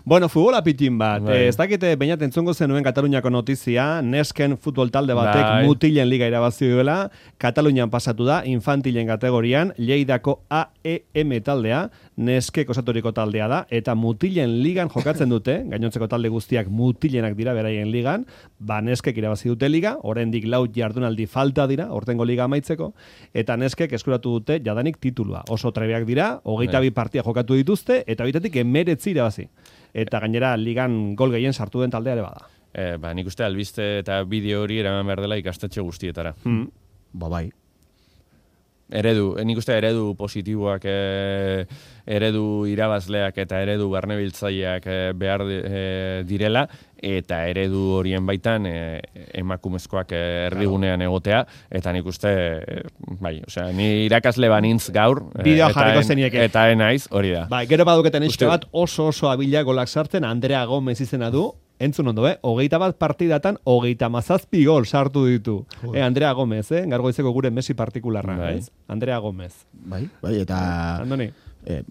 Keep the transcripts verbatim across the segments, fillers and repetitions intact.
Bueno, futbola pitin bat. Bai. Eh, ez dakite bainat entzungo zenuen Kataluniako notizia, Nesken futbol talde batek Bai. mutilen liga irabazi duela, Katalunian pasatu da, infantilen kategorian, Lleidako A E M taldea, Neskek osaturiko taldea da, eta mutilen ligan jokatzen dute, gainontzeko talde guztiak mutilenak dira beraien ligan, ba Neskek irabazi dute liga, oraindik lau jardunaldi falta dira, ortengo liga amaitzeko, eta Neskek eskuratu dute jadanik titulua. Oso trebeak dira, hogeita bi partia jokatu dituzte, eta bitetik emeretzi irabazi. Eta gainera ligan gol gehien sartu den taldea ere bada. E, ba, nik uste albiste eta bideo hori eraman behar dela ikastetxe guztietara. Hmm. Ba bai. Eredu, nik uste eredu positiboak, e, eredu irabazleak eta eredu barnebiltzaileak e, behar e, direla, eta eredu horien baitan e, emakumezkoak e, erdigunean egotea, eta nik uste, e, bai, osea, ni irakasle banintz gaur, e, Bideoa eta jarriko en- zenieke. eta enaiz, hori da. Bai, gero baduketen Uste- eske bat oso oso abila golak sartzen, Andrea Gomez izena du, entzun ondo, eh? Hogeita bat partidatan, hogeita mazazpi gol sartu ditu. Eh, Andrea Gomez, eh? Gargoizeko gure Messi partikularra, Bai. ez? Andrea Gomez. Bai, bai, eta Andoni. eh,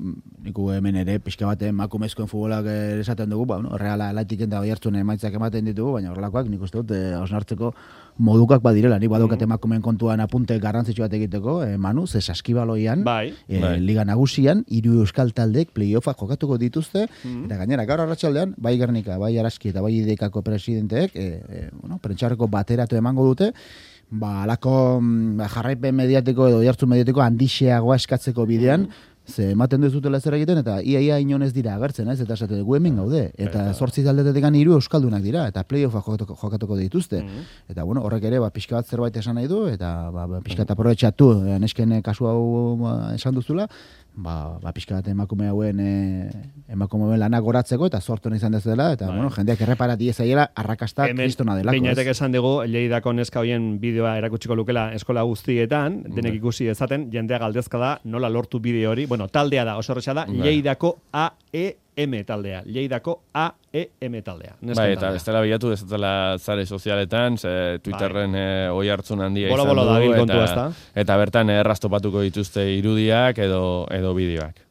niku hemen ere pixka bat emakumezkoen futbolak eh, esaten dugu, ba, bueno, Reala Atletik eta Oiartzun emaitzak ematen ditugu, baina horrelakoak nik uste dut eh, hausnartzeko modukak badirela. Nik badokat emakumeen kontuan apunte garrantzitsu bat egiteko, eh, Manu, ze saskibaloian, Bai. eh, Bai. Liga Nagusian, hiru euskal taldek playoffak jokatuko dituzte, eta gainera gaur arratsaldean bai Gernika, bai Araski eta bai Idekako presidenteek, eh, eh, bueno, prentxarreko bateratu emango dute, ba, alako mm, jarraipen mediatiko edo jartzu mediatiko handixeagoa eskatzeko bidean, ze ematen duzutela zer egiten, eta ia ia inon ez dira agertzen, ez? Eta esate dugu hemen gaude. Eta zortzi taldetetik hiru euskaldunak dira, eta playoffa jokatuko, jokatuko dituzte. Eta bueno, horrek ere, ba, pixka bat zerbait esan nahi du, eta ba, ba, pixka eta aprobetxatu, eh, nesken kasu hau ba, esan duzula, ba, ba pixka bat emakume hauen e, emakume hauen lanak goratzeko, eta sortu izan dezela, eta bueno, jendeak erreparati ezaiela arrakasta kristona delako. Beinatek ez? esan dugu, Lleidako neska hoien bideoa erakutsiko lukela eskola guztietan, denek ikusi dezaten, jendea galdezka da, nola lortu bideo hori. Bueno, taldea da, oso horretxa da, Lleidako A E M taldea. Lleidako A E M taldea. Nesken Bai, eta taldea. bestela bilatu dezatela zare sozialetan, ze Twitterren e, oi hartzun handia Bolo, izan bolo du, dabil kontua, eta, ezta? eta bertan errastopatuko dituzte irudiak edo, edo bideoak.